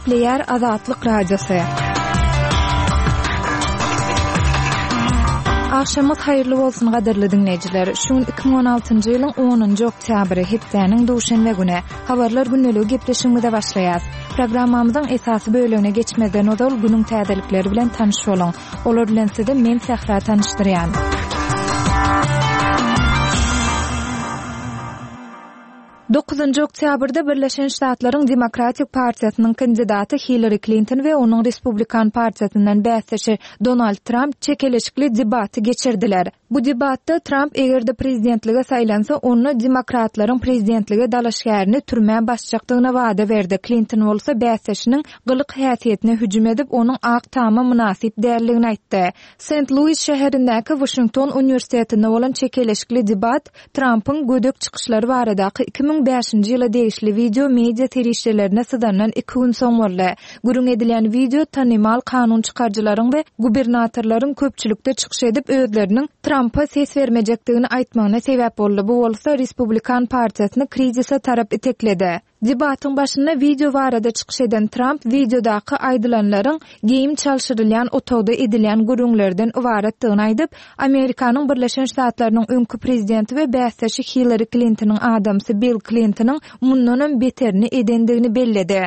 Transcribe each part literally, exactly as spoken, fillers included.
Gepleýär Azatlyk Radiosy. Agşamyňyz haýyrly bolsun gadyrly diňleýjiler. Şu gün iki müň on altynjy ýylyň onunjy oktýabry, hepdäniň duşenbe güni. Habarlar gündeligi gepleşigimize başlaýas. Programmamyzyň esasy bölegine geçmezden ozal günüň täzelikleri bilen tanyş boluň. Olar bilen sizi men Sähra tanyşdyrýan. Dokuzynjy oktýabrda Birleşen Ştatlaryň Demokratik partiýasynyň kandidaty Hillary Klinton we onuň Respublikan partiýasyndan bäsdeşi Donald Tramp çekeleşikli debaty geçirdiler. Bu debatda Tramp eger-de prezidentlige saýlansa, onda demokratlaryň prezidentlige dalaşgärini türmä basjakdygyna wada berdi. Klinton bolsa bäsdeşiniň gylyk häsiýetine hüjüm edip, onuň Ak Tama mynasyp däldigini aýtdy. Sent Luis şäherindäki Washington uniwersitetinde bolan çekeleşikli debat Trampyň gödek çykyşlary baradaky iki müň bäşinji ýyla degişli wideo media serişdelerine syzandan iki gün soň boldy. Gürrüň edilýän wideo tanymal kanun çykaryjylaryň we gubernatorlaryň köpçülikde çykyş edip özleriniň Trampa ses bermejekdigini aýtmagyna sebäp boldy. Bu bolsa Respublikan partiýasyny krizise tarap itekledi. Debatyň başynda wideo barada çykyş eden Tramp wideodaky aýdylanlaryň geýim çalşyrylýan otagda edilýän gürrüňlerden ybaratdygyny aýdyp, Amerikanyň Birleşen Ştatlarynyň öňki prezidenti we bäsdeşi Hillary Klintonyň adamsy Bill Klintonyň mundanam beterini edendigini belledi.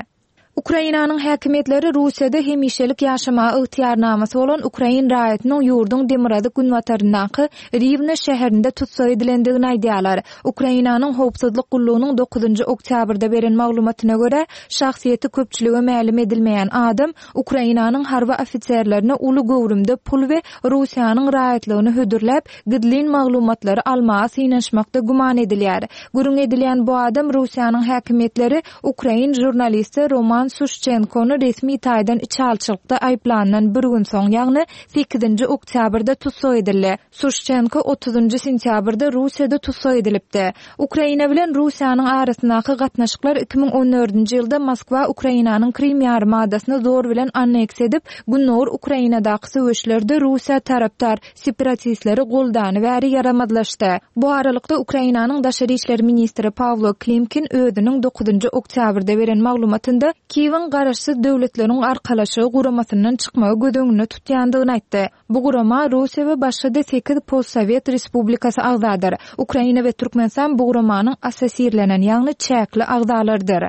Ukrainanyň häkimiýetleri Russiýada hemişelik ýaşamaga ygtyýarnamasy bolan ukrain raýatynyň ýurduň demirgazyk günbataryndaky Riwne şäherinde tussag edilendigini aýdýarlar. Ukrainanyň howpsuzlyk gullugynyň dokuzynjy oktýabrda beren maglumatyna görä, şahsyýeti köpçülige mälim edilmeýän adam Ukrainanyň harby ofiserlerine uly göwrümde pul we Russiýanyň raýatlygyny hödürläp, gizlin maglumatlary almaga synanyşmakda güman edilýär. Gürrüň edilýän bu adam Russiýanyň häkimiýetleri ukrain žurnalisti Roman Suşçenkony resmi taýdan içalçylykda aýyplandan bir gün soň, ýagny sekizinji oktýabrda tussag edildi. Suşçenko otuzynjy sentýabrda Russiýada tussag edilipdi. Ukraina bilen Russiýanyň arasyndaky gatnaşyklar iki müň on dördünji ýylda Moskwa Ukrainanyň Krim ýarymadasyny zor bilen anneksiýa edip, Gündogar Ukrainadaky söweşlerde Russiýa tarapdar separatistleri goldany bäri ýaramazlaşdy. Bu aralykda Ukrainanyň daşary işler ministri Pawlo Klimkin özüniň dokuzynjy oktýabrda beren maglumatynda Kiýewiň garaşsyz döwletleriň arkalaşygy guramasyndan çykmagy göz öňünde tutýandygyny aýtdy. Bu gurama Russiýa we başga-da sekiz postsowet respublikasy agzadyr. Ukraina we Türkmenistan bu guramanyň assosirlenen, ýagny çäkli agzalardyr.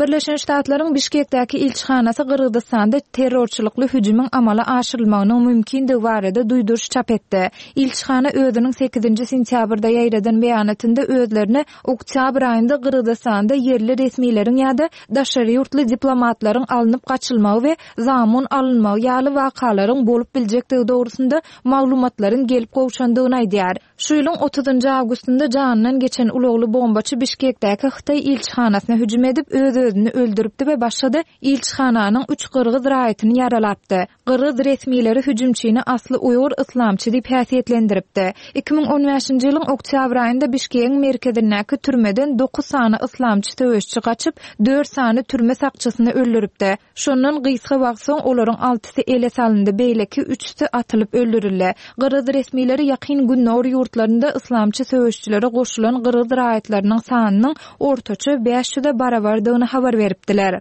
Birleşen Ştatlaryň Bişkekdäki ilçihanasy Gyrgyzystanda terrorçylykly hüjümiň amala aşyrylmagynyň mümkindigi barada duýduryş çap etdi. Ilçihana özüniň sekizinji sentýabrda ýaýradan beýanatynda özlerine oktýabr aýynda Gyrgyzystanda ýerli resmileriň ýa-da daşary ýurtly diplomatlaryň alnyp gaçylmagy we zamun alynmagy ýaly wakalaryň bolup biljekdigi dogrusynda maglumatlaryň gelip gowşandygyny aýdýar. Şu ýylyň otuzynjy awgustynda janyndan geçen ulagly bombaçy Bişkekdäki Hytaý ilçihanasyna hüjüm edip öz-özüni öldüripdi we başga-da ilçihananyň üç gyrgyz raýatyny ýaralapdy. Gyrgyz resmileri hüjümçini asly uýgur yslamçy diýip häsiýetlendiripdi. Iki müň on bäşinji ýylyň oktýabr aýynda Bişkegiň merkezindäki türmeden dokuz sany yslamçy söweşçi gaçyp, dört sany türme sakçysyny öldüripdi. Şondan gysga wagt soň olaryň altysy ele salyndy, beýleki üçüsi atylyp öldürildi. Gyrgyz resmileri ýakyn Gündogar ýurtlarynda yslamçy söweşçilere goşulan gyrgyz raýatlarynyň sanynyň ortaça bäş ýüze barabardygyny habar beripdiler.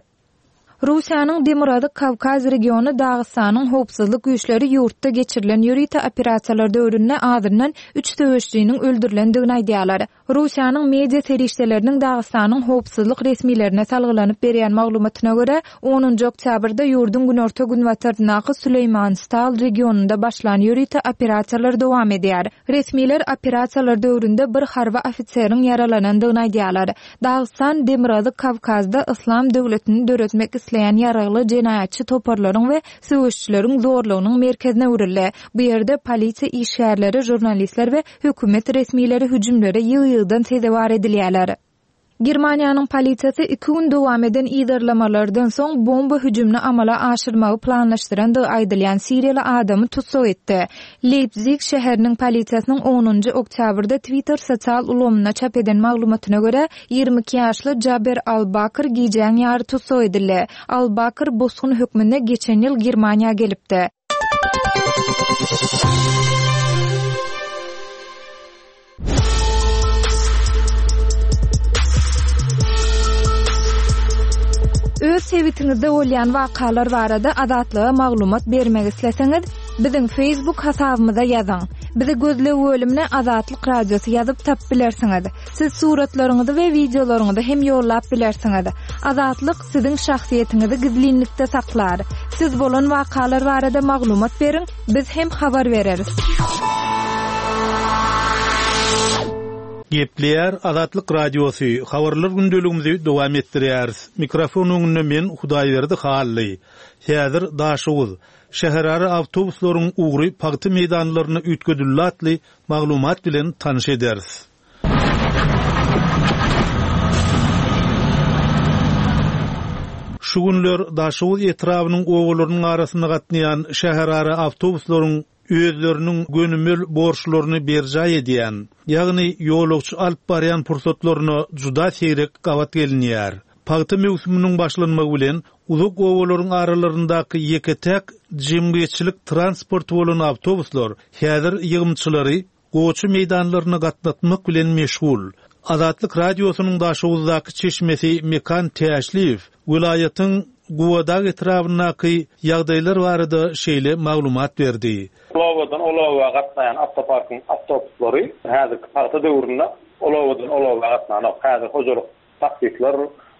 Russiýanyň Demirgazyk Kawkaz regiony Dagystanyň howpsuzlyk güýçleri ýurtda geçirilen ýörite operasiýalar döwründe azyndan üç söweşçiniň öldürilendigini aýdýarlar. Russiýanyň media serişdeleriniň Dagystanyň howpsuzlyk resmilerine salgylanyp berýän maglumatyna görä, onunjy oktýabrda ýurduň günorta günbataryndaky Süleýmanstal regionynda başlan ýörite operasiýalar dowam edýär. Resmiler operasiýalar döwründe bir harby ofiseriň ýaralanandygyny aýdýarlar. Dagystan Demirgazyk Kawkazda Yslam döwletini döretmek isleýän ýaragly jenaýatçy toparlaryň we söweşçileriň zorlugynyň merkezine öwrüldi. Bu ýerde polisiýa işgärleri, žurnalistler we hökümet resmileri hüjümlere ýygy-ýygydan sezewar edilýärler. Germaniýanyň polisiýasy iki gün dowam eden yzarlamalardan soň bomba hüjümini amala aşyrmagy planlaşdyrandygy aýdylýan Siriýaly adamy tussag etdi. Leipzig şäheriniň polisiýasynyň onunjy oktýabrda Twitter sosial ulgamynda çap eden maglumatyna görä, ýigrimi iki ýaşly Jaber Al-Bakr gijäň ýary tussag edildi. Al-Bakr bosgun hökmünde geçen ýyl Germaniýa gelipdi. Öz Öz sebitiňizde bolýan wakalar barada Azatlyga maglumat bermek isleseňiz, biziň Facebook hasabymyza ýazyň. Bizi gözleg bölümine Azatlyk Radiosy ýazyp tapyp bilersiňiz. Siz suratlaryňyzy we wideolaryňyzy hem ýollap bilersiňiz. Azatlyk siziň şahsyýetiňizi gizlinlikde saklar. Siz bolan wakalar barada maglumat beriň, biz hem habar bereris. Gepleýär Azatlyk Radiosy, habarlar gündeligimizi dowam etdirýäris. Mikrofon öňünde men Hudaýberdi Hally. Häzir Daşoguz şäherara awtobuslaryň ugry pagta meýdanlaryna üýtgedildi atly maglumat bilen tanyş ederis. Şu günler Daşoguz etrabynyň obalarynyň arasynda gatnaýan şäherara awtobuslaryň özleriniň gönümel borçlaryny berjaý edýän, ýagny ýolagçy alyp barýan pursatlaryna juda seýrek gabat gelinýär. Pagta möwsüminiň başlanmagy bilen uzak obalaryň aralaryndaky ýeke-täk jemgyýetçilik transporty bolan awtobuslar häzir ýygymçylary gowaça meýdanlaryna gatnatmak bilen meşgul. Azatlyk Radiosynyň Daşoguzdaky çeşmesi Mekan Täşliýew welaýatyň Gubadag etrabyndaky ýagdaýlar barada şeýle maglumat berdi. Ol obadan ol oba gatnaýan awtoparkyň awtobuslary häzirki pagta döwründe ol obadan ol oba gatnanok. Häzir hojalyk taksitler,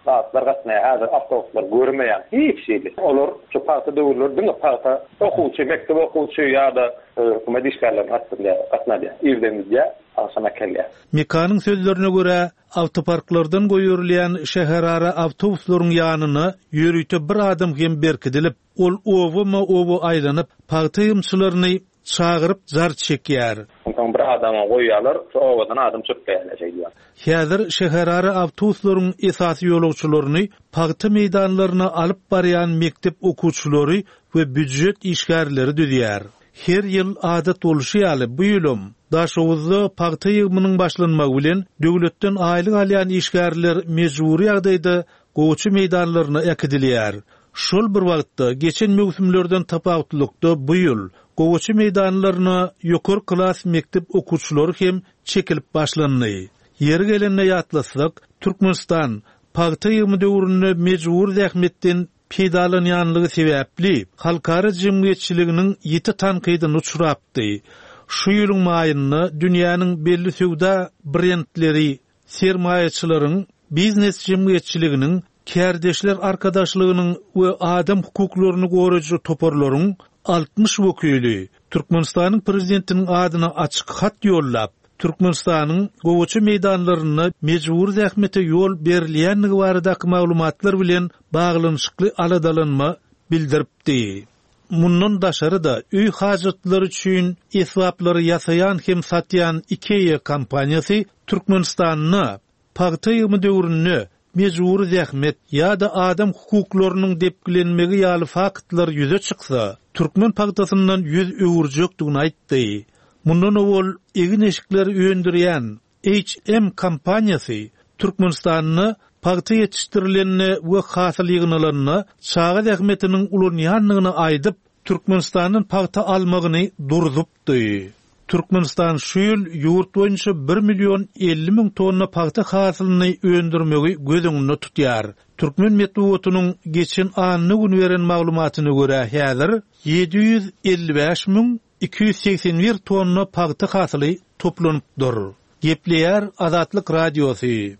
zatlar gatnaýar. Häzir awtobuslar görmeýän hiç hili. Olar şu pagta döwürleri diňe pagta okuwçy, mekdep okuwçy ýa-da e, hökümet işgärlerini gatnadýar, gatnadýar. Irden gidýär, agşam äkelýär. Mekanyň sözlerine görä, awtoparklardan goýberilýän şäherara awtobuslaryň ýanyna ýörite bir adam hem berkidilip, ol obama-oba aýlanyp, pagta ýygymçylaryny çagyryp jar çekýär. Onsoň bir adama goýýarlar, şu obadan adam çöpleýärler şeýdýär. Häzir şäherara awtobuslaryň esasy ýolagçylaryny pagta meýdanlaryna alyp barýan mekdep okuwçylary we býujet işgärleri düzýär. Her ýyl adat bolşy ýaly bu ýylym Daşoguzda pagta ýygymynyň başlanmagy bilen döwletden aýlyk alýan işgärler mejbury ýagdaýda gowaça meýdanlaryna äkidilýär. Şol bir wagtda geçen möwsümlerden tapawutlylykda bu ýyl gowaça meýdanlaryna ýokary klas mekdep okuwçylary hem çekilip başlandy. Ýeri gelende ýatlasak, Türkmenistan pagta ýygymy döwründe mejbur zähmetden peýdalanýanlygy sebäpli halkara jemgyýetçiliginiň ýiti tankydyna uçrapdy. Şu ýylyň maýynda dünýäniň belli söwda brendleri sermaýaçylaryň biznes jemgyýetçiliginiň kärdeşler arkadaşlygynyň we adam hukuklaryny goraýjy toparlaryň altmyş wekili Türkmenistanyň prezidentiniň adyna açyk hat ýollap, Türkmenistanyň gowaça meýdanlarynda mejbur zähmete ýol berilýänligi baradaky maglumatlar bilen baglanyşykly aladalanma bildiripdi. Mundan daşary-da öý hajatlary üçin esbaplary ýasaýan hem satýan IKEA kompaniýasy Türkmenistanda pagta ýygymy döwründe mejbur zähmet ýa-da adam hukuklarynyň depgilenmegi ýaly faktlar ýüze çyksa, türkmen pagtasyndan ýüz öwürjekdigini aýtdy. Mundan owal egin-eşikleri öndürýän H M kompaniýasy Türkmenistanda pagta ýetişdirilende we hasyl ýygnalanda çaga zähmetiniň ulanýandygyny aýdyp, Türkmenistandan pagta almagyny durdupdy. Türkmenistan şu ýyl ýurt boýunça bir million elli müň tonna pagta hasylyny öndürmegi göz öňünde tutýar. Türkmen metbugatynyň geçen anna gün beren maglumatyna görä häzir ýedi ýüz elli bäş müň iki ýüz segsen bir tonna pagta hasyly toplanypdyr. Gepleýär Azatlyk Radiosy.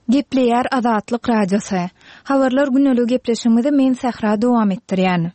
Gepleýär Azatlyk Radiosy. Habarlar gündelik gepleşigimizi men Sähra dowam etdirýän.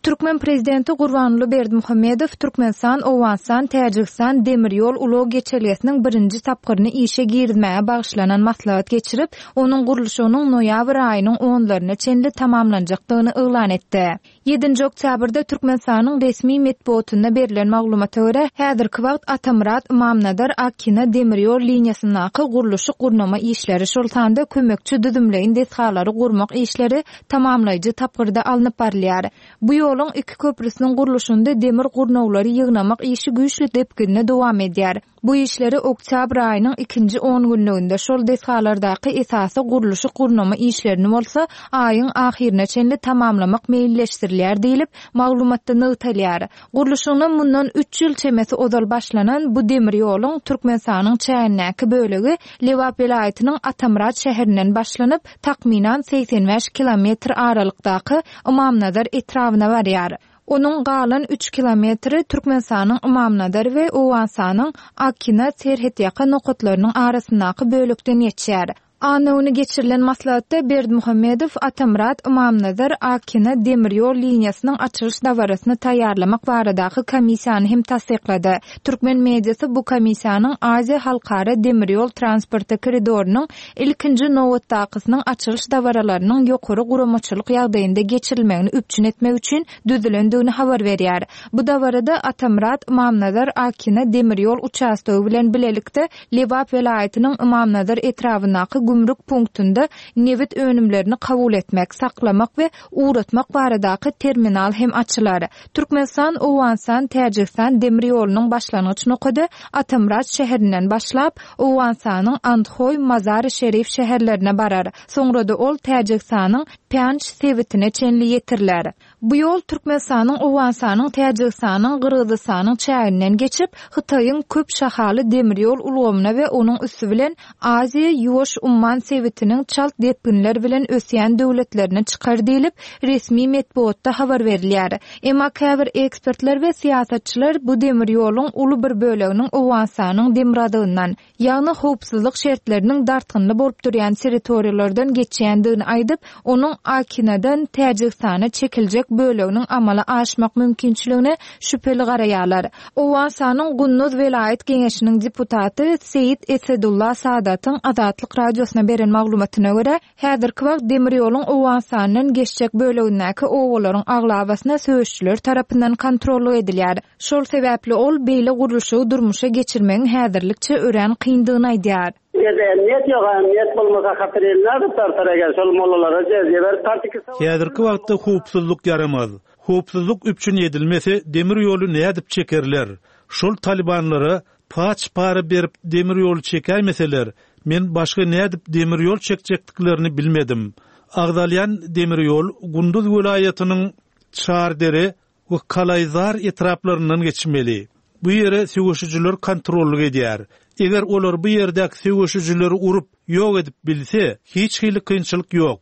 Türkmen prezidenti Gurbanguly Berdimuhamedow Türkmenistan, Owganystan, Täjigistan demir ýol ulag geçelgesiniň birinji tapgyryny işe girizmäge bagyşlanan maslahat geçirip, onuň gurluşygynyň noýabr aýynyň onlaryna çenli tamamlanjakdygyny yglan etdi. Ýedinji oktýabrda Türkmenistanyň resmi metbugatynda berlen maglumata görä, häzirki wagt Atamyrat Ymamnazar Akina demir ýol liniýasyndaky gurluşyk gurnama işleri, şol sanda kömekçi düzümleýin desgalary gurmak işleri tamamlaýjy tapgyrda alnyp barylýar. Bu ýoluň ýoluň iki köprüsiniň gurluşynda demir gurnawlary ýygnamak işi güýçli depginde dowam edýär. Bu işleri oktýabr aýynyň ikinji on günlüginde, şol desgalardaky esasy gurluşyk gurnama işlerini bolsa aýyň ahyryna çenli tamamlamak meýilleşdirilýär diýlip, maglumatda nygtalýar. Gurluşygyna mundan üç ýyl çemesi ozal başlanan bu demir ýoluň Türkmenistanyň çägindäki bölegi Lebap welaýatynyň Atamyrat şäherinden başlanyp, takmynan segsen bäş kilometr aralykdaky Ymamnazar etrabyna barýar. Onuň galan üç kilometri Türkmenistanyň Ymamnazar we Owganystanyň Akina serhetýaka nokatlarynyň arasyndaky bölekden geçýär. Anna güni geçirilen maslahatda Berdimuhamedow Atamyrat Ymamnazar Akina demir ýol liniýasynyň açylyş dabarasyny taýýarlamak baradaky komissiýany hem tassyklady. Türkmen mediasy bu komissiýanyň Aziýa halkara demir ýol transporty koridorynyň ilkinji nobatdakysynyň açylyş dabaralarynyň ýokary guramaçylyk ýagdaýynda geçirilmegini üpjün etmek üçin düzülendigini habar berýär. Bu dabarada Atamyrat Ymamnazar Akina demir ýol uçastogy bilen bilelikde Lebap welaýatynyň Ymamnazar etrabyndaky gümrük punktunda nebit önümlerini kabul etmek, saklamak we ugratmak baradaky terminal hem açylar. Türkmenistan, Owganystan, Täjigistan demir ýolunyň başlangyç nokady Atamyrat şäherinden başlap, Owganystanyň Andhoý, Mazar-i Şerif şäherlerine barar. Soňra-da ol Täjigistanyň Pänç sebitine çenli ýetiriler. Bu ýol Türkmenistanyň, Owganystanyň, Täjigistanyň, Gyrgyzystanyň çäginden geçip, Hytaýyň köp şahaly demir ýol ulgamyna we onuň üsti bilen Aziýa Ýuwaş Umman sebitiniň çalt depginler bilen ösýän döwletlerine çykar diýlip, resmi metbugatda habar berilýär. Emma käbir ekspertler we syýasatçylar bu demir ýoluň uly bir böleginiň Owganystanyň demirgazygyndan, ýagny howpsuzlyk şertleriniň dartgynly bolup durýan territoriýalardan geçýändigini aýdyp, onuň Akinadan Täjigistana çekiljek böleginiň amala aşmak mümkinçiligine şübheli garaýarlar. Owganystanyň Gunduz welaýat geňeşiniň deputaty Seýit Esedullah Sadatyň Azatlyk radiosyna beren maglumatyna görä, häzirki wagt demir ýoluň Owganystandan geçjek bölegindäki obalaryň aglabasyna söweşçiler tarapyndan kontrollyk edilýär. Şol sebäpli ol beýle gurluşygy durmuşa geçirmegiň häzirlikçe örän kyndygyny aýdýar. Ýerde emniýet ýok, emniýet bolmasa hatyr eline tartar eger şol mollalara jezye berip tartyk. Häzirki wagtda howpsuzlyk ýaramaz. Howpsuzlyk üpjün edilmese demir ýoly nädip çekerler? Şol talibanlara paç para berip demir ýoly çekäýmeseler, men başga nädip demir ýol çekjekdiklerini bilmedim. Agzalýan demir ýol Gunduz welaýatynyň Çardere we Kalaýzar etraplaryndan geçmeli. Bu ýere söweşijiler kontrollyk edýär. Eger olar bu ýerdäki söweşijileri urup ýok edip bilse, hiç hili kynçylyk ýok.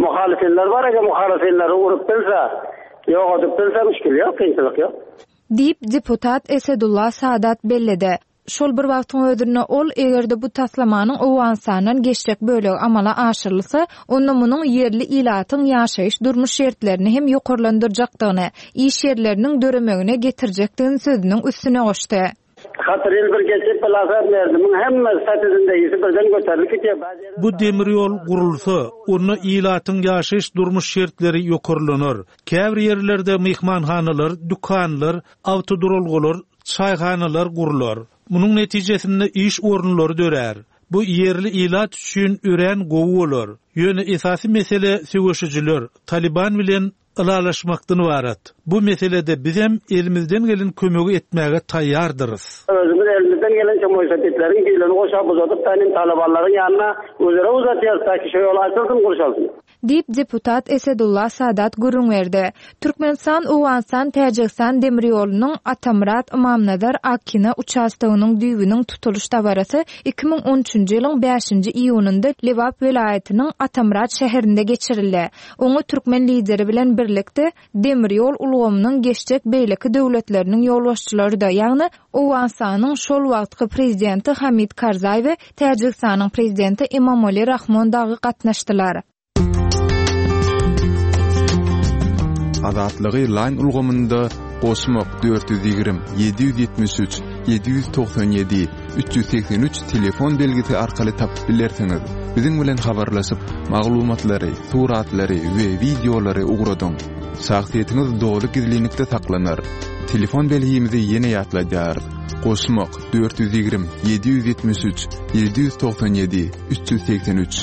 Muhalifler bar, eger muhalifleri urup bilse, ýok edip bilse müşkil ýok, kynçylyk ýok. Diýip deputat Esedullah Sadat belledi. Şol bir wagtyň özünde ol eger-de bu taslamanyň Owganystandan geçjek bölegi amala aşyrylsa, onda munuň ýerli ilatyň ýaşaýyş durmuş şertlerini hem ýokarlandyrjakdygyny, iş ýerleriniň döremegine getirjekdigini sözüniň üstüne goşdy. Hatyr ýyl bir geçip bilasat berdim. Hemme statüsünde ýüzi birden göterilip gidýär. Bu demir ýol gurulsa, onda ilatyň ýaşaýyş durmuş şertleri ýokarlanar. Käbir ýerlerde myhmanhanalar, dükanlar, awtoduralgalar, çaýhanalar gurular. Munuň netijesinde iş orunlary dörär. Bu ýerli ilat üçin örän gowy bolar. Ýöne esasy mesele söweşijiler, Taliban bilen ylalaşmakdan ibarat. Bu meselede bizem elimizden gelen kömegi etmäge taýýardyrys. Özümiz elimizden gelen kömegi sepetlerin birini goşa uzadyp tanim talibanlaryň ýanyna özere uzatýarys, taki şu ýol açylsyn, gurşalsyn. Diýip deputat Esedullah Sadat gürrüň berdi. Türkmenistan, Owganystan, Täjigistan demir ýolunyň Atamyrat Ymamnazar Akina uçastogynyň düýbüniň tutulyş dabarasy iki müň on üçünji ýylyň bäşinji iýunynda Lebap welaýatynyň Atamyrat şäherinde geçirildi. Oňa türkmen lideri bilen birlikde demir ýol ulgamynyň geçjek beýleki döwletleriniň ýolbaşçylary-da, ýagny Owganystanyň şol wagtky prezidenti Hamid Karzaý we Täjigistanyň prezidenti Emomali Rahmon dagy gatnaşdylar. Azatlygy line ulgamynda goşmak dört ýüz ýigrimi, ýedi ýüz ýetmiş üç, ýedi ýüz togsan ýedi, üç ýüz segsen üç telefon belgisi arkaly tapyp bilersiňiz. Biziň bilen habarlaşyp, maglumatlary, suratlary we wideolary ugradyň. Şahsyýetiňiz doly gizlinlikde saklanar. Telefon belgimizi ýene ýatladýarys. Goşmak dört ýüz ýigrimi, ýedi ýüz ýetmiş üç, ýedi ýüz togsan ýedi, üç ýüz segsen üç.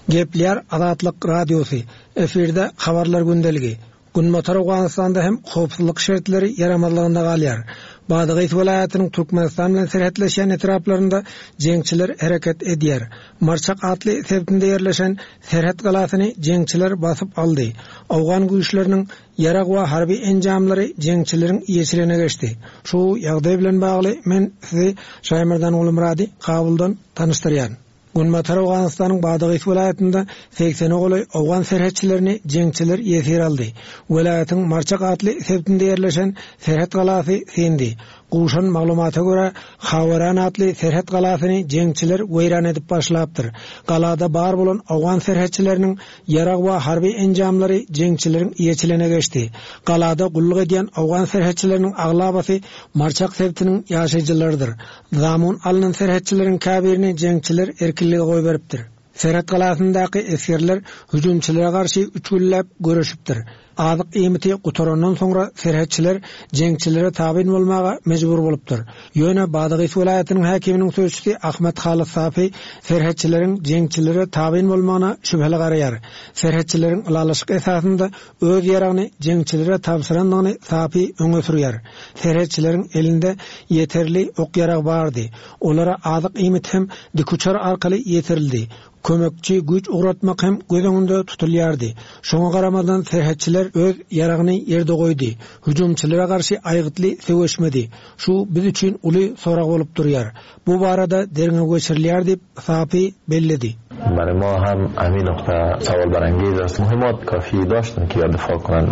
Gepleýär Azatlyk Radiosy. Efirde habarlar gündeligi. Günbatar Owganystanda hem howpsuzlyk şertleri ýaramazlygynda galýar. Badagys welaýatynyň Türkmenistan bilen serhetleşýän etraplarynda jeňçiler hereket edýär. Marçak atly sebitinde ýerleşen serhet galasyny jeňçiler basyp aldy. Owgan güýçleriniň ýarag we harby enjamlary jeňçileriň eýeçiligine geçdi. Şu ýagdaý bilen bagly men sizi Şaýmerdan Gulmyrady Kabuldan tanyşdyrýan. Günbatar Owganystanyň Badagys welaýatynda segsene golaý owgan serhetçilerini jeňçiler ýesir aldy. Welaýatyň Marçak atly sebitinde ýerleşen serhet galasy syndy. Gowşan maglumata görä, Hawaran atly serhet galasyny jeňçiler weýran edip başlapdyr. Galada bar bolan owgan serhetçileriniň ýarag we harby enjamlary jeňçileriň eýeçiligine geçdi. Galada gulluk edýän owgan serhetçileriniň aglabasy Marçak sebitiniň ýaşaýjylarydyr. Zamun alnan serhetçileriň käbirini jeňçiler erkinlige goýberipdir. Serhet galasyndaky esgerler hüjümçilere garşy üç günläp göreşipdir. Azyk iýmiti gutarandan soňra serhetçiler jeňçilere tabyn bolmaga mejbur bolupdyr. Ýöne Badagys welaýatynyň häkiminiň sözçüsi Ahmet Halyt Safi serhetçileriň jeňçilere tabyn bolmagyna şübheli garaýar. Serhetçileriň ylalaşyk esasynda öz ýaragyny jeňçilere tabşyrandygyny Safi öňe sürýär. Serhetçileriň elinde ýeterli ok ýarag bardy. Olara azyk iýmit hem dikuçar arkaly ýetirildi. Kömekçi güýç ugratmak hem göz öňünde tutulýardy. Şoňa garamazdan serhetçiler öz ýaragyny ýerde goýdy. Hüjümçilere garşy aýgytly söweşmedi. Şu biz üçin uly sorag bolup durýar. Bu barada derňew geçirilýär diýip Safi belledi. برای ما هم همین نقطه سوال برانگیز است. مهمات کافی داشتن که یا دفاع کنند.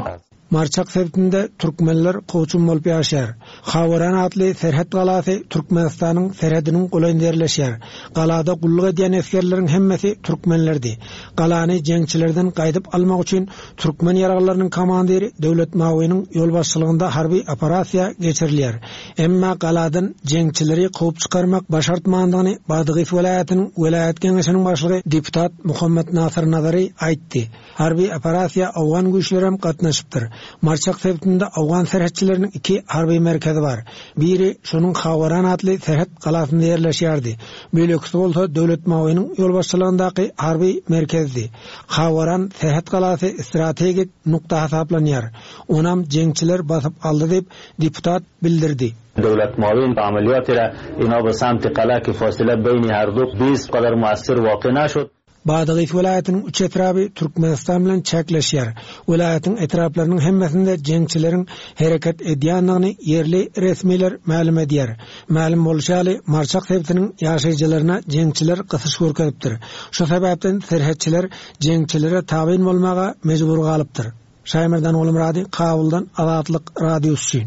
Marçak sebitinde türkmenler kowçum bolup ýaşaýar. Hawaran atly serhet galasy Türkmenistanyň serhediniň golaýynda ýerleşýär. Galada gulluk edýän esgerleriň hemmesi türkmenlerdi. Galany jeňçilerden gaýdyp almak üçin türkmen ýaraglarynyň komandiri Döwlet Mawynyň ýolbaşçylygynda harby operasiýa geçirilýär. Emma galadan jeňçileri kowup çykarmak başartmandygyny Badagys welaýatynyň welaýat geňeşiniň başlygy deputat Muhammet Nasir Nazary aýtdy. Harby operasiýa Owgan güýçleri hem gatnaşypdyr. Marçak sebitinde Owgan serhetçileriniň iki harby merkezi bar. Biri şonuň Hawaran atly serhet galasynda ýerleşýärdi. Beýlekisi bolsa Döwlet Mawynyň ýolbaşçylygyndaky harby merkezdi. Hawaran serhet galasy strategik nukta hasaplanýar. Onam jeňçiler basyp aldy diýip deputat bildirdi. دولت معاون عملیات را اینا به سمت قلعه که فاصله بین هر دو بیست قدر مؤثر واقع نشد. Badagys welaýatynyň üç etraby Türkmenistan bilen çäkleşýär. Welaýatyň etraplarynyň hemmesinde jeňçileriň hereket edýändigini ýerli resmiler mälim edýär. Mälim bolşy ýaly, Marçak sebitiniň ýaşaýjylaryna jeňçiler gysyş görkezipdir. Şu sebäpden serhetçiler jeňçilere tabyn bolmaga mejbur galypdyr. Şaýmerdan Gulmyrady, Kabuldan Azatlyk Radiosy.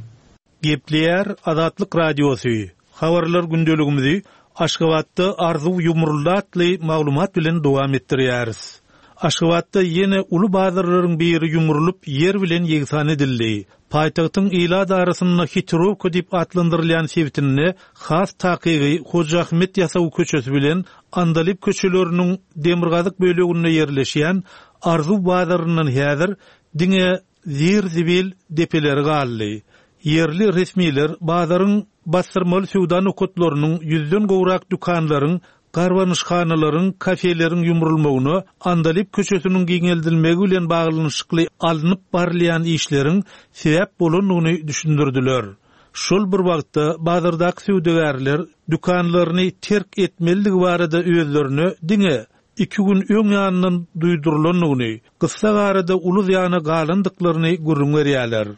Gepleýär Azatlyk Radiosy. Habarlar gündeligimizi Aşgabatda Arzuw Ýumruldy atly maglumat bilen dowam etdirýäris. Aşgabatda ýene uly bazarlaryň biri ýumrulyp ýer bilen ýegsan edildi. Paýtagtyň ilat arasynda Hitrowka diýip atlandyrylýan sebitinde has takygy Hoja Ahmet Ýasawy köçesi bilen Andalyp köçeleriniň demirgazyk böleginde ýerleşýän Arzuw bazaryndan häzir diňe zir-zibil depeleri galdy. Ýerli resmiler bazaryň bastyrmaly söwda nokatlarynyň ýüzden gowrak dükanlaryň, garbanyşhanalaryň, kafeleriň ýumrulmagyna Andalyp köçesiniň giňeldilmegi bilen baglanyşykly alnyp barylýan işleriň sebäp bolandygyny düşündirdiler. Şol bir wagtda bazardaky söwdagärler dükanlaryny terk etmelidigi barada özlerine diňe iki gün öň ýanyndan duýdurylandygyny, gyssa arada uly zyýana galandyklaryny gürrüň berýärler.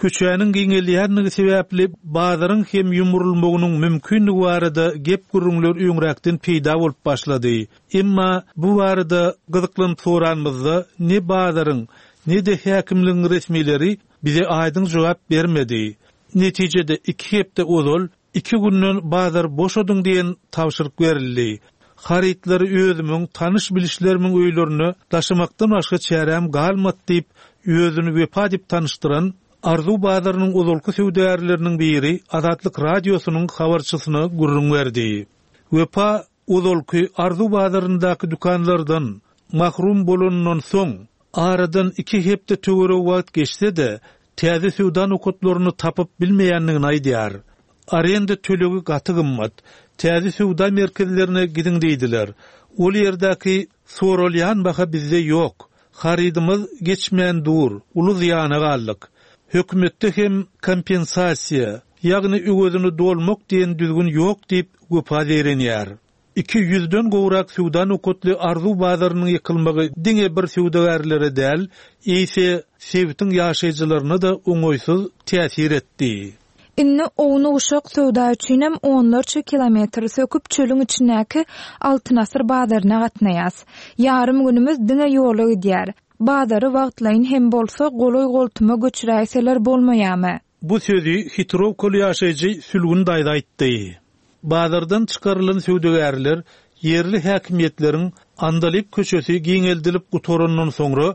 Köçäniň giňelýänligi sebäpli bazaryň hem ýumrulmagynyň mümkinligi barada gep gürrüňler öňräkden peýda bolup başlady. Emma bu barada gyzyklanyp soranymyzda ne bazaryň, ne-de häkimligiň resmileri bize aýdyň jogap bermedi. Netijede iki hepde ozal iki günden bazar boşadyň diýen tabşyryk berildi. Harytlary özümiň tanyş bilişlerimiň öýlerine daşamakdan başga çärem galmady diýip, özüni Wepa diýip tanyşdyran Arzuw bazarynyň ozalky söwdagärleriniň biri Azatlyk Radiosynyň habarçysyna gürrüň berdi. Wepa ozalky Arzuw bazaryndaky dükanlardan mahrum bolandan soň aradan iki hepde töweregi wagt geçse-de täze söwda nokatlaryny tapyp bilmeýändigini aýdýar. Arenda tölegi gaty gymmat. Täze söwda merkezlerine gidiň diýdiler. Ol ýerdäki Soralýan baha bizde ýok. Harydymyz geçmän dur, uly zyýana galdyk. Hökümetde hem kompensasiýa, ýagny öwezini dolmak diýen düzgün ýok diýip Wepa zeýrenýär. Iki ýüzden gowrak söwda nokatly Arzuw bazarynyň ýykylmagy diňe bir söwdagärlere däl, eýse sebitiň ýaşaýjylaryna-da oňaýsyz täsir etdi. Indi ownuk-uşak söwda üçinem onlarça kilometr söküp çölüň içindäki Altyn asyr bazaryna gatnaýas. Ýarym günümiz diňe ýola gidýär. Bazary wagtlaýyn hem bolsa golaý-goltuma göçüräýseler bolmaýarmy? Bu sözi Hitrowkaly ýaşaýjy Sülgün daýza aýtdy. Bazardan çykarylan söwdagärler ýerli häkimiýetleriň Andalyp köçesi giňeldilip gutarandan soňra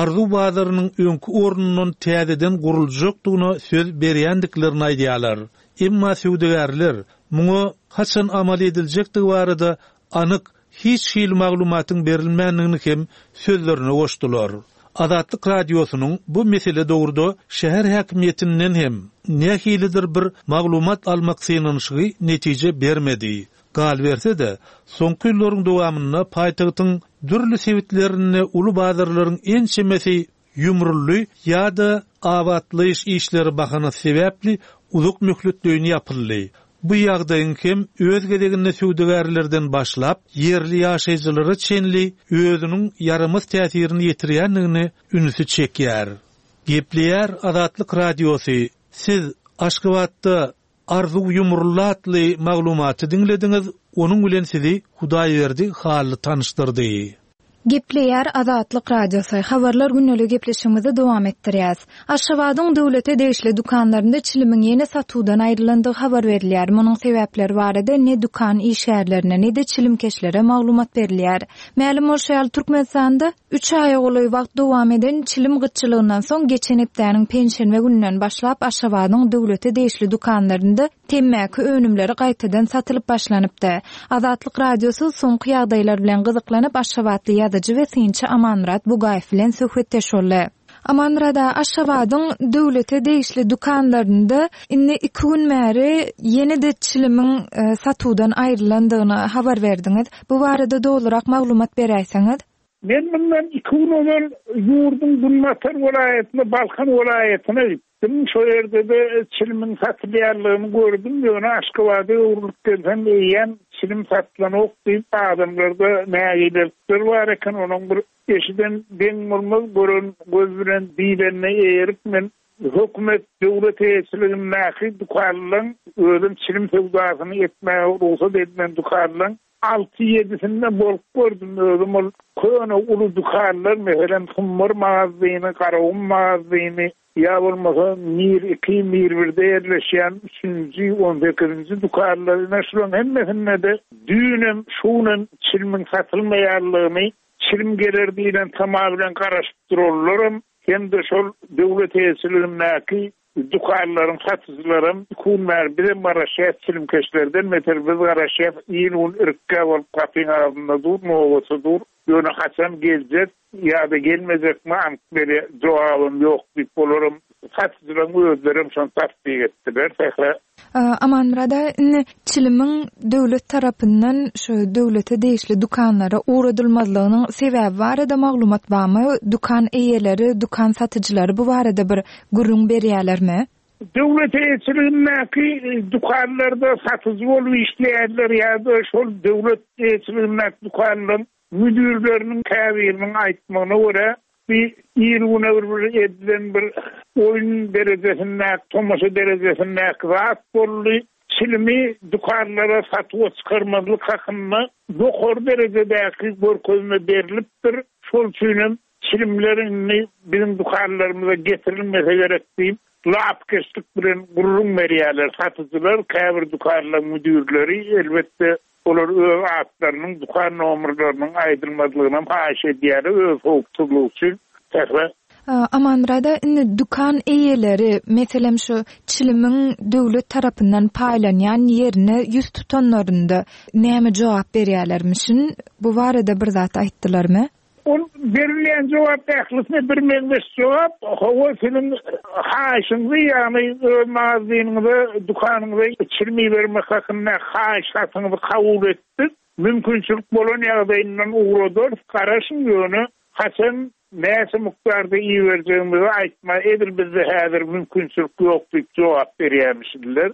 Arzuw bazarynyň öňki ornundan täzeden guruljakdygyna söz berýändiklerini aýdýarlar. Emma söwdagärler muňa haçan amal ediljekdigi barada anyk hiç hili maglumatyň berilmändigini hem sözlerine goşdular. Azatlyk Radiosynyň bu mesele dogruda şäher häkimiýetinden hem nähilidir bir maglumat almak synanyşygy netije bermedi. Galyberse-de, soňky ýyllaryň dowamynda paýtagtyň dürli sebitlerinde uly bazarlaryň ençemesi ýumruldy ýa-da abatlaýyş işleri bahanasy sebäpli uzak möhletleýin ýapyldy. Bu ýagdaýyň hem öz gezeginde söwdagärlerden başlap ýerli ýaşaýjylara çenli özüniň ýaramaz täsirini ýetirýändigini ünsi çekýär. Gepleýär Azatlyk Radiosy. Siz Aşgabatda Arzuw ýumruldy atly maglumaty diňlediňiz, onuň bilen sizi Hudaýberdi Hally tanyşdyrdy. Gepleýär Azatlyk Radiosy. Habarlar gündelik gepleşigimizi dowam etdirýäs. Aşgabadyň döwlete degişli dükanlarynda çilimiň ýene satuwdan aýrylandygy habar berilýär. Munuň sebäpleri barada ne dükan işgärlerine, ne-de çilimkeşlere maglumat berilýär. Mälim bolşy ýaly Türkmenistanda üç aýa golaý wagt dowam eden çilim gytçylygyndan soň geçen hepdäniň penşenbe gününden başlap Aşgabadyň döwlete degişli dükanlarynda temmäki önümleri gaýtadan satylyp başlanypdy. Azatlyk Radiosy soňky ýagdaýlar bilen gyzyklanyp Aşgabatly ýazyjy we synçy Amanmyrat Bugaýew bilen söhbetdeş boldy. Amanmyrat aga, Aşgabadyň döwlete degişli dükanlarynda indi iki gün bäri ýene-de çilimiň e, satuwdan aýrylandygyny habar berdiňiz. Bu barada dolurak maglumat beräýseňiz. Men bundan iki gün ozal ýurduň Günbatar welaýatyna, Balkan welaýatyna gitdim. Şo ýerde-de çilimiň satylýanlygyny gördüm. Ýöne Aşgabada öwrülip gelsem eýýäm çilim satylanok diýip adamlarda nägilelikler bar eken. Onuň bir eşiden deň bolmaz, gören göz bilen diýlenine eýerip men hökümet döwlet eýeçiligindäki dükanlaryň özüm çilim söwdasyny etmäge rugsat edilen dükanlaryň alty ýedisinde bolup gördüm özüm ol köne uly dükanlar, meselem Hummar magazyny, Garagum magazyny, ýa bolmasa Mir iki, Mir birde ýerleşýän üçünji, on sekizinji dükanlar, ine şularyň hemmesinde de düýnem, şunem çilimiň satylmaýanlygyny, çilim geler diýlen tama bilen garaşyp durarlaram, hem de şol döwlet eýeçiligindäki dükanlaryň satyjylaram iki gün bäri bizem garaşýas çilimkeşlerden beter biz garaşýas, iýn gün irkkä bolup gapyň agzynda dur, nobata dur. Ýöne haçan geljek ýa-da gelmejekmi anyk bir jogabym ýok diýip olaram satyjylaryň özlerem şony tassyk etdiler. Sähra. Amanmyrat aga, indi çilimiň döwlet tarapyndan şu döwlete degişli dükanlara ugradylmazlygynyň sebäbi barada maglumat barmy? Dükan eýeleri, dükan satyjylary bu barada bir gürrüň berýärlermi? Döwlet eýeçiligindäki dükanlarda satyjy bolup işleýärler ýa-da şol döwlet eýeçiligindäki dükanlaryň müdürleriniň käbiriniň aýtmagyna görä bir ir güne bir bir edilen bir oýun derejesindäki, tomaşa derejesindäki zat boldy. Çilimi dükanlara satuwa çykarmazlyk hakynda ýokary derejedäki görkezme berilipdir. Şol üçinem çilimler indi biziň dükanlarymyza getirilmese gerek diýip lapkeşlik bilen gürrüň berýärler. Satyjylar, käbir dükanlaryň müdürleri elbetde olar öz atlarynyň, dükan nomerleriniň aýdylmazlygyny haýyş edýärler öz howpsuzlygy üçin. Sähra. Amanmyrat aga, indi dükan eýeleri, meselem şu çilimiň döwlet tarapyndan paýlanýan ýerine ýüz tutanlarynda näme jogap berýärlermişin? Bu barada bir zat aýtdylarmy? Ol berilýän jogap ählisine bir meňzeş jogap. Hawa, siziň haýyşyňyzy, ýagny öz magazynyňyza, dükanyňyza çilim ibermek hakynda haýyş hatyňyzy kabul etdik. Mümkinçilik bolan ýagdaýyndan ugradarys, garaşyň ýöne haçan näçe mukdarda iberjegimizi aýtma, edil bizde häzir mümkinçilik ýok diýip jogap berýärmişdiler.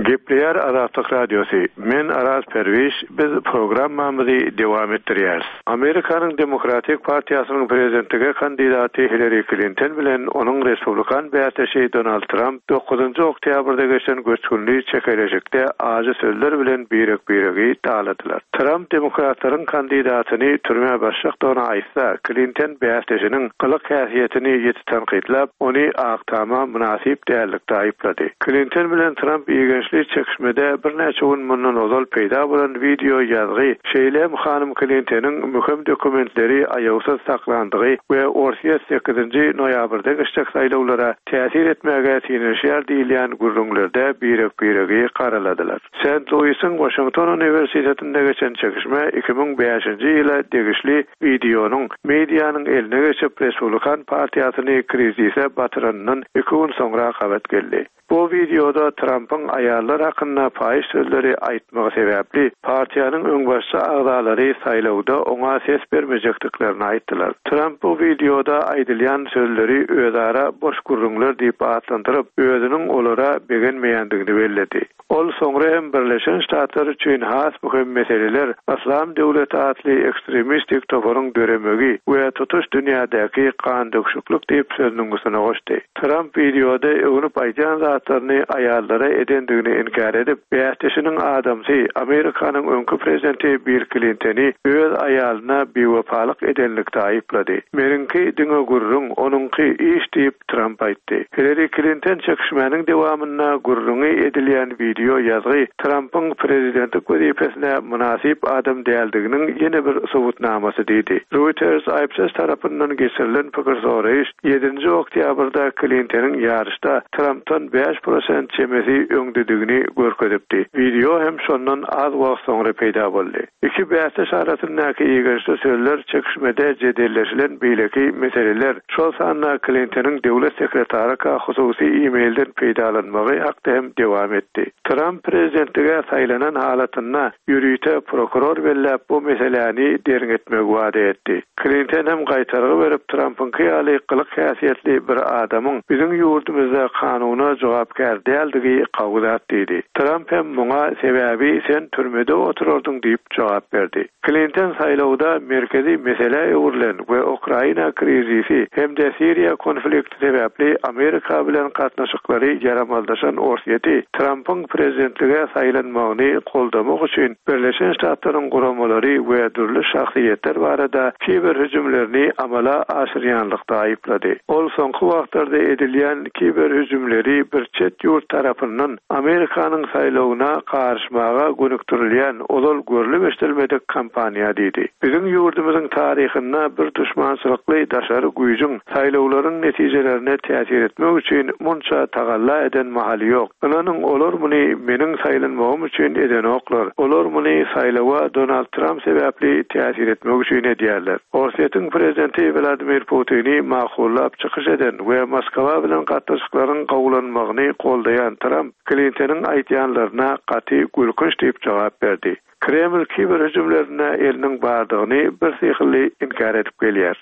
Gepleýär Azatlyk Radiosy. Men Araz Perwiş, biz programmamyzy dowam etdirýäris. Amerikanyň Demokratik partiýasynyň prezidentlige kandidaty Hillary Clinton bilen onuň Respublikan bäsdeşi Donald Trump dokuzynjy oktýabrda geçen göçgünli çekeleşikde ajy sözler bilen birek-biregi daladylar. Trump demokratlaryň kandidatyny türmä başjakdygyny aýtsa, Clinton bäsdeşiniň gylyk häsiýetini ýeti tankytlap, ony Ak Tama mynasyp dällikde aýyplady. Clinton bilen Trump igençli çekişmede birnäçe gün mundan ozal peýda bolan wideo ýazgy, şeýle hem hanym Clintonyň möhüm dokumentleri aýawsyz saklandygy we Orsýet sekizinji noýabrda geçjek saýlawlara täsir etmäge synanyşýar diýilýän gürrüňlerde birek-biregi garaladylar. Saint Louis'in Washington Universitetinde geçen çekişme iki müň bäşinji ýyla degişli wideonyň medianyň eline geçip Respublikan partiýasyny krizise batyranyndan iki gün soňra gabat geldi. Bu wideoda Trump'yň aýallar hakynda paýyş sözleri aýtmagy sebäpli partiýanyň öňbaşçy agzalary saýlawda oňa ses bermejekdiklerini aýtdylar. Trump bu wideoda aýdylýan sözleri özara boş gürrüňler diýip atlandyryp, özüniň olara begenmeýändigini belledi. Ol soňra hem Birleşen Ştatlar üçin has möhüm meseleler Islam döwleti atly ekstremistik toparyň döremegi we tutuş dünýädäki gan döküşiklik diýip sözüniň üstüne goşdy. Trump wideoda öwünip aýdýan zatlaryny aýallara edendigini inkär edip, bäsdeşiniň adamsy Amerikanyň öňki prezidenti Bill Clintony öz aýalyna biwepalyk edenlikde aýyplady. Meniňki diňe gürrüň, onuňky iş diýip Trump aýtdy. Hillary Clinton çekişmäniň dowamynda gürrüňi edilýän wideo ýazgy Trump'yň prezidentlik wezipesine mynasyp adam däldiginiň ýene bir subutnamasy diýdi. Reuters Ipsos tarapyndan geçirilen pikir soraýyş ýedinji oktýabrda Clintonyň ýaryşda Trump'tan bäş prosent çemesi öňdedigini görkezipdi. Wideo hem şondan az wagt soňra peýda boldy. Iki bäsdeş arasyndaky igençli sözler çekişmede jedelleşilen beýleki meseleler, şol sanda Clintonyň döwlet sekretary hususy e-mailden peýdalanmagy hakda hem dowam etdi. Trump prezidentlige saýlanan halatynda ýörite prokuror belläp bu meseläni derňetmegi wada etdi. Clinton hem gaýtargy berip Trump'yňky ýaly gylyk häsiýetli bir adamyň biziň ýurdumyzda kanuna jogapkär däldigi gawzat diýdi. Trump hem muňa sebäbi sen türmede oturardyň diýip jogap berdi. Clinton saýlawda merkezi mesele öwrülen we Ukraina krizisi hem-de Siriýa konflikti sebäpli Amerika bilen gatnaşyklary ýaramaldaşan Orsýeti Trump'yň prezidentlige saýlanmagyny goldamak üçin Birleşen Ştatlaryň guramalary we dürli şahsyýetler barada kiber hüjümlerini amala aşyrýanlykda aýyplady. Ol soňky wagtlarda edilýän kiber hüjümleri bir çet ýurt tarapyndan Amerikanyň saýlawyna garyşmaga gönükdirilýän ozal görlüp eşidilmedik kampaniýa diýdi. Biziň ýurdumyzyň taryhynda bir düşmançylykly daşary güýjüň saýlawlaryň netijelerine täsir etmek üçin munça tagalla eden mahaly ýok. Ynanyň olar muny meniň saýlanmagym üçin edenoklar. Olar muny saýlawa Donald Trump sebäpli täsir etmek üçin edýärler. Orsýetiň prezidenti Vladimir Putini makullap çykyş eden we Moskwa bilen gatnaşyklaryň gowulanmagyny goldaýan Trump Clintonyň aýdýanlaryna gaty gülkünç diýip jogap berdi. Kreml kiber hüjümlerine eliniň bardygyny bir syhylly inkär edip gelýär.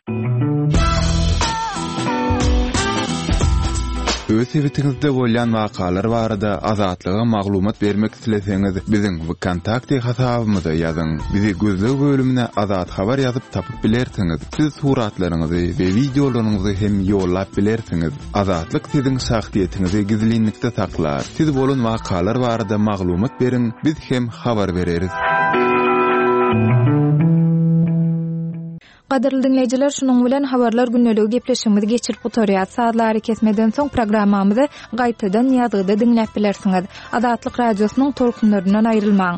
Öz sebitiňizde bolýan wakalar barada Azatlyga maglumat bermek isleseňiz, biziň VKontakte hasabymyza ýazyň. Bizi gözleg bölümine Azat Habar ýazyp tapyp bilersiňiz. Siz suratlaryňyzy we wideolaryňyzy hem ýollap bilersiňiz. Azatlyk siziň şahsyýetiňizi gizlinlikde saklar. Siz bolan wakalar barada maglumat beriň, biz hem habar bereris. Gadyrly dinleýjiler, şunuň bilen habarlar gündeligi gepleşigimizi geçirip gutarýar. Sazlary kesmeden soň programmamyzy gaýtadan ýazgyda diňläp bilersiňiz. Azatlyk radiosynyň tolkunlaryndan aýrylmaň.